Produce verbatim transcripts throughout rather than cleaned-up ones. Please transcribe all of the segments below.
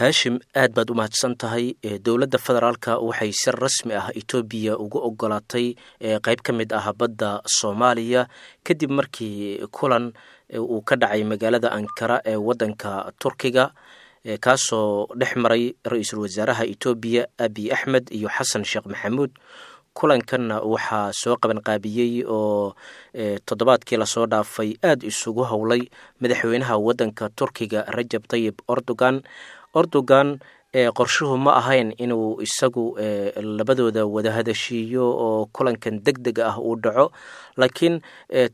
Haashim, aad baad u mahadsan tahay. Dowladda federaalka waxay si rasmi ah Etoobiya ugu ogolaatay qeyb ka mid ah badda Soomaaliya, kadib markii kulan uu ka dhacay magaalada Ankara ee waddanka Turkiga, kaasoo dhex maray ra-iisul wasaaraha Etoobiya Abiy Axmed iyo Xasan Sheekh Maxamuud. Kulankanna waxaa soo qabanqaabiyey oo toddobaadkii lasoo dhaafay aada isugu howlay madaxweynaha waddanka Turkiga Rajab Tayib Erdogan. Erdogan qorshuhu ma ahayn inuu isagu labadooda wada hadashiiyo oo kulankan deg dega ah uu dhaco, laakiin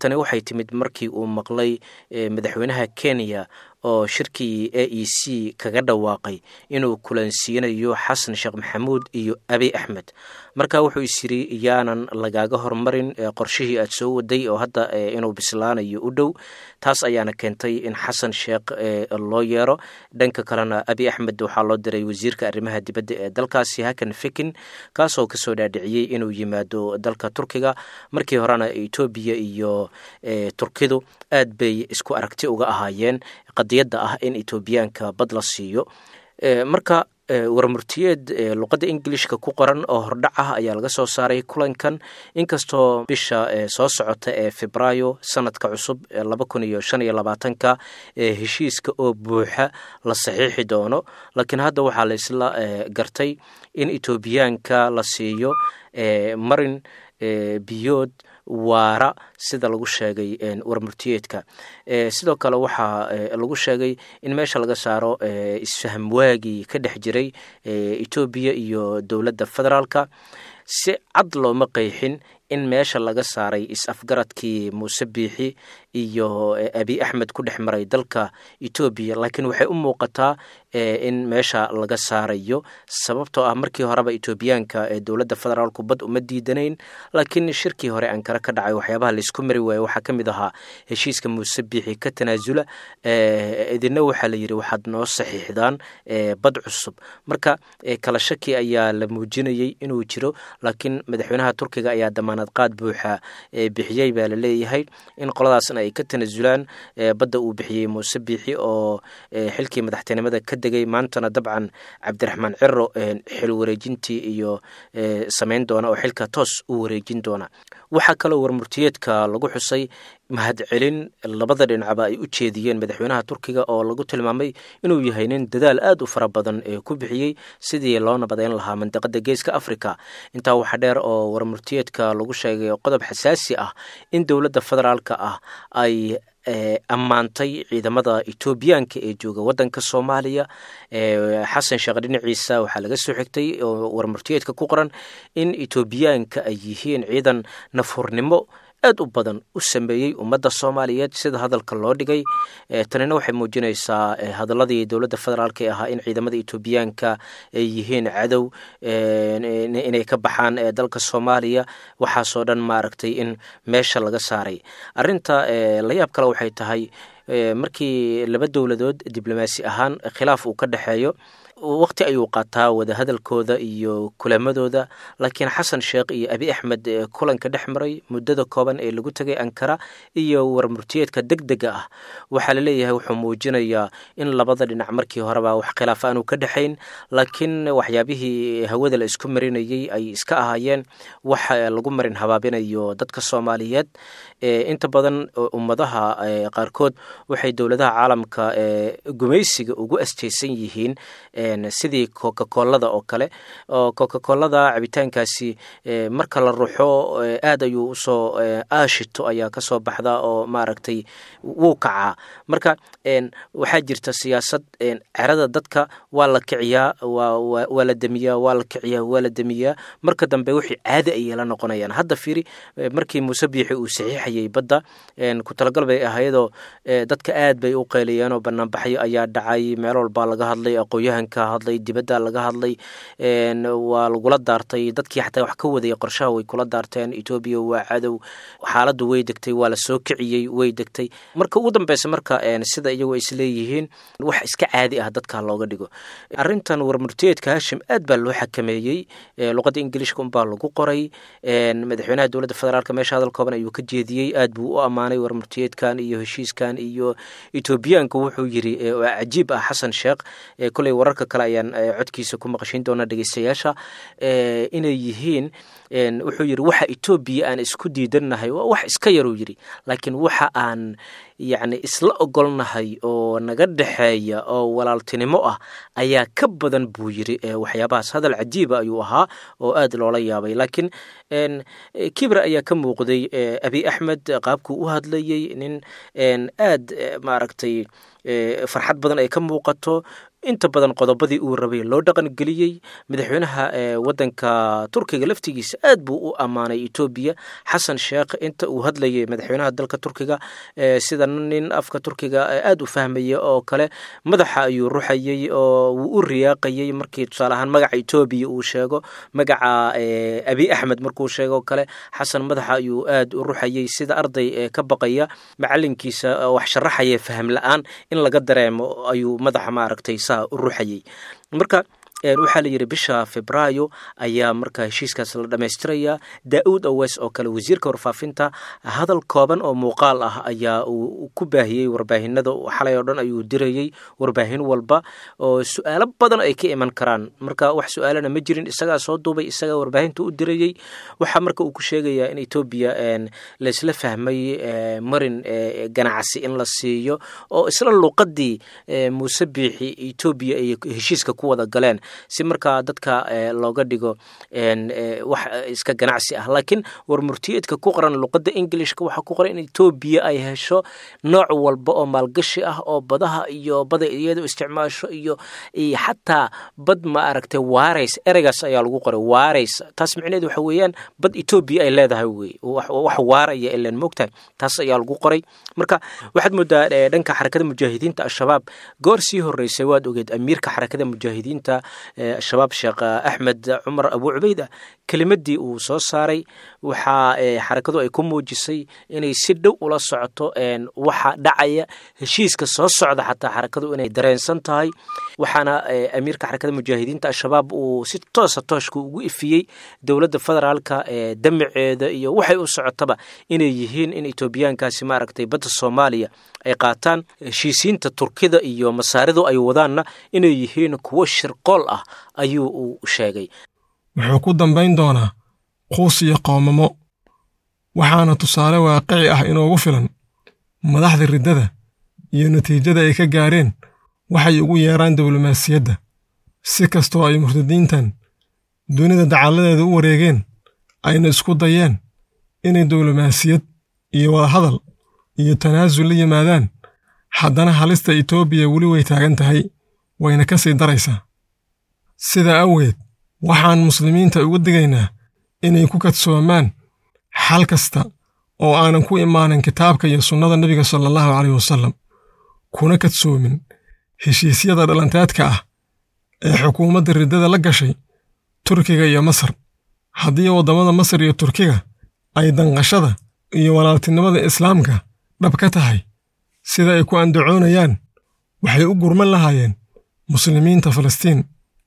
tani waxay timid markii uu maqlay madaxweynaha Kenya oo shirkii A E C kaga dhawaaqay inuu kulansiinayo Xasan Sheekh Maxamuud iyo Abiy Axmed. Marka wuxuu is yiri, yaanan lagaaga hormarin qorshihii aad soo waday oo hadda inuu bislaanayo u dhow. Taas ayaana keentay in Xasan Sheekh loo yeero. Dhanka kalena Abiy Axmed waxaa loo diray wasiirka arrimaha dibadda ee dalkaasi Hakan Fikin, kaasoo kasoo dhaadhiciyey inuu yimaado dalka Turkiga. Markii horena Etoobiya iyo Turkidu aad bay isku aragti uga ahaayeen qadiyadda ah in Etoobiyaanka bad la siiyo. Marka warmurtiyeed luqadda Ingilishka ku qoran oo hordhac ah ayaa laga soo saaray kulankan, inkastoo bisha soo socota ee Febraayo sanadka cusub laba kun iyo shan iyo labaatanka heshiiska oo buuxa la saxiixi doono, laakiin hadda waxaa la isla gartay in Etoobiyaanka la siiyo marin biyood waara, sida lagu sheegay warmurtiyeedka. Sidoo kale waxaa lagu sheegay in meesha laga saaro isfaham waagii ka dhex jiray Etoobiya iyo dowladda federaalka. Si cad looma qeexin in meesha laga saaray is-afgaradkii Muuse Biixi iyo Abiy Axmed ku dhex maray dalka Etoobiya, laakiin waxay u muuqataa in meesha laga saarayo, sababtoo ah markii horeba Etoobiyaanka ee dowladda federaalku bad uma diidanayn, laakiin shirkii hore Ankara ka dhacay waxyaabaha laisku mari waayey waxaa ka mid ahaa heshiiska Muuse Biixi ka tanaasula, idina waxaa la yidhi waxaad noo saxiixdaan bad cusub. Marka kala shaki ayaa la muujinayey inuu jiro, laakiin madaxweynaha Turkiga ayaa damaanad qaad buuxa bixiyey baa la leeyahay in qoladaasna ay ka tanasulaan badda uu bixiyey Muuse Biixi oo xilkii madaxtinimada ka degay, maantana dabcan Cabdiraxmaan Ciro xil wareejintii iyo samayn doona oo xilka toos u wareejin doona. Waxaa kaloo warmurtiyeedka lagu xusay mahadcelin labada dhinacba ay u jeediyeen madaxweynaha Turkiga, oo lagu tilmaamay inuu yahay nin dadaal aad u fara badan ee ku bixiyey sidii loo nabadeyn lahaa mandaqada Geeska Africa. Intaa waxaa dheer oo warmurtiyeedka lagu sheegay qodob xasaasi ah in dowladda federaalka ah ay ammaantay ciidamada Etoobiyaanka ee jooga waddanka Soomaaliya. Xasan Sheekh dhinaciisa waxaa laga soo xigtay oo warmurtiyeedka ku qoran in Etoobiyaanka ay yihiin ciidan nafhurnimo aad u badan u sameeyey ummadda Soomaaliyeed, sida hadalka loo dhigay. Tanina waxay muujinaysaa hadaladii dowladda federaalk ee ahaa in ciidamada Etoobiyaanka ay yihiin cadow, inay ka baxaan dalka Soomaaliya, waxaasoo dhan maaragtay in meesha laga saaray. Arrinta layaab kale waxay tahay markii laba dowladood diblomaasi ahaan khilaaf uu ka dhexeeyo, waqti ayuu qaataa wadahadalkooda iyo kulamadooda, laakiin Xasan Sheekh iyo Abiy Axmed kulanka dhex maray muddada kooban ee lagu tegay Ankara iyo warmurtiyeedka deg dega ah waxaa la leeyahay wuxuu muujinayaa in labada dhinac markii horeba wax khilaaf aanu ka dhexayn, laakiin waxyaabihii hawada la isku marinayey ay iska ahaayeen wax lagu marin habaabinayo dadka Soomaaliyeed. Inta badan ummadaha qaarkood waxay dowladaha caalamka gumaysiga ugu asteysan yihiin sidii Coca-Colada oo kale, oo Coca-Colada cabitaankaasi marka la ruxo aad ayuu usoo aashito ayaa kasoo baxda oo maaragtay wuu kacaa. Marka waxaa jirta siyaasad cerada dadka waa la kiciyaa, waa la demiyaa, waa la kiciyaa, waa la demiyaa, marka dambe wixii caadi ayay la noqonayaan. Hadda fiiri, markii Muuse Biixi uu saxiixayey badda ku talagal bay ahaydoo dadka aad bay u qeyliyeen oo banaanbaxyo ayaa dhacay, meel walbaa laga hadlay, aqoon-yahanka hadlay, dibadda laga hadlay, waa lagula daartay dadkii xataa wax ka wadayay qorshaha way kula daarteen, Etoobiya waa cadow. Xaaladdu way degtay, waa la soo kiciyey, way degtay. Marka ugu dambeysa marka sida iyagu ay isleeyihiin wax iska caadi ah dadka looga dhigo. Arrintan warmurtiyeedka, Hashim, aad baa loo xakameeyey, luqadda Ingiliishka unbaa lagu qoray. Madaxweynaha dowladda federaalk meesha hadal kooban ayuu ka jeediyey, aad buu u ammaanay warmurtiyeedkan iyo heshiiskan iyo Etoobiyaanku wuxuu yiri oo cajiib ah Xasan Sheekh, koley wararka kale ayaan codkiisa ku maqashiin doonaa dhegeystayaasha, inay yihiin wuxuu yiri waxa Etoobiya aan isku diidannahay waa wax iska yaruu yiri, laakiin waxa aan yacni isla ogolnahay oo naga dhexeeya oo walaaltinimo ah ayaa ka badan buu yiri waxyaabahaas. Hadal cajiiba ayuu ahaa oo aad loola yaabay, laakiin kibra ayaa ka muuqday Abiy Axmed qaabkuu u hadlayey, nin aad maaragtay farxad badan ay ka muuqato. Inta badan qodobadii uu rabay loo dhaqan geliyey. Madaxweynaha wadanka Turkiga laftigiisa aad buu u ammaanay Etoobiya. Xasan Sheekh inta uu hadlayay madaxweynaha dalka Turkiga, sida nin afka Turkiga aad u fahmaya oo kale, madaxa ayuu ruxayey oo wuu u riyaaqayey markii tusaale ahaan magaca Etoobiya uu sheego, magaca Abiy Axmed markuu sheego kale, Xasan madaxa ayuu aad u ruxayey sida arday ka baqaya macalinkiisa wax sharaxaya faham la-aan in laga dareemo ayuu madaxa maaragtay u ruxayey. Marka waxaa la yidhi bisha Febraayo ayaa marka heshiiskaas la dhammaystirayaa. Daa'uud Awes oo kale wasiirka warfaafinta hadal kooban oo muuqaal ah ayaa uu ku baahiyey warbaahinada xalay oo dhan ayuu dirayey warbaahin walba oo su-aalo badan ay ka iman karaan. Marka wax su-aalana ma jirin, isagaa soo duubay, isagaa warbaahinta u dirayey. Waxaa marka uu ku sheegayaa in Etoobiya laysla fahmay marin ganacsi in la siiyo oo isla luuqadii Muuse Biixi Etoobiya ay heshiiska ku wada galeen, si markaa dadka looga dhigo wax iska ganacsi ah. Laakiin war murtiyeedka ku qoran luqadda Englishka waxaa ku qoran in Etoobiya ay hesho nooc walba oo maalgashi ah oo badaha iyo bada iyadu isticmaasho iyo xataa bad ma aragtay waarays, ereygaas ayaa lagu qoray waarays. Taas micnaheedu waxa weeyaan bad Etoobiya ay leedahay wey, wax waaraya ilan moogtahay, taas ayaa lagu qoray. Marka waxaad moodaa dhanka Xarakada Mujaahidiinta Al-Shabaab goor sii horreysay waad ogeed amiirka Xarakada Mujaahidiinta Shabaab Sheekh Axmed Cumar Abu Cubeyda kelimadii uu soo saaray, waxaa xarakadu ay ku muujisay inay si dhow ula socoto waxa dhacaya heshiiska soo socda, xataa xarakadu inay dareensan tahay. Waxaana amiirka Xarakada Mujaahidiinta Al-Shabaab uu si toosa tooshka ugu ifiyey dowladda federaalka damaceeda iyo waxay u socotaba inay yihiin in Etoobiyaankaasi maaragtay badda Soomaaliya ay qaataan, heshiisiinta Turkida iyo Masaaridu ay wadaanna inay yihiin kuwo shirqool ah ayuu uu sheegay. Wuxuu ku dambayn doonaa quus iyo qoomamo, waxaana tusaale waaqici ah inoogu filan madaxda riddada iyo natiijada ay ka gaareen waxay ugu yeeraan diblomaasiyadda. Si kastoo ay murtadiintan dunida dacalladeeda u wareegeen ayna isku dayeen inay diblomaasiyad iyo wadahadal iyo tanaasul la yimaadaan, haddana halista Etoobiya weli way taagan tahay, wayna ka sii daraysaa. Sidaa awgeed waxaan muslimiinta uga digaynaa inay ku kadsoomaan xal kasta oo aanan ku imaanin kitaabka iyo sunnada nebiga sala allahu caleyh wasallam, kuna kadsoomin heshiisyada dhalanteedka ah ee xukuumadda riddada la gashay Turkiga iyo Masar. Haddii waddamada Masar iyo Turkiga ay danqashada iyo walaaltinimada islaamka dhab ka tahay sida ay ku andacoonayaan, waxay u gurman lahaayeen muslimiinta Falastiin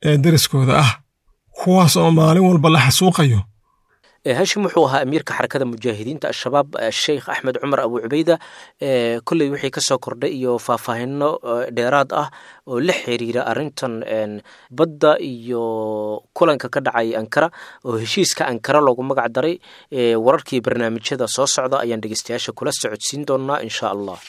ee deriskooda ah, kuwaas oo maalin walba la xasuuqayo. Hashim wuxuu ahaa amiirka Xarakada Mujaahidiinta Al-Shabaab Sheikh Axmed Cumar Abu Cubeyda. Kolley wixii ka soo kordhay iyo faahfaahino dheeraad ah oo la xiriira arrintan badda iyo kulanka ka dhacay Ankara oo heshiiska Ankara loogu magac daray, wararkii barnaamijyada soo socda ayaan dhegeystayaasha kula socodsiin doonaa insha Allah.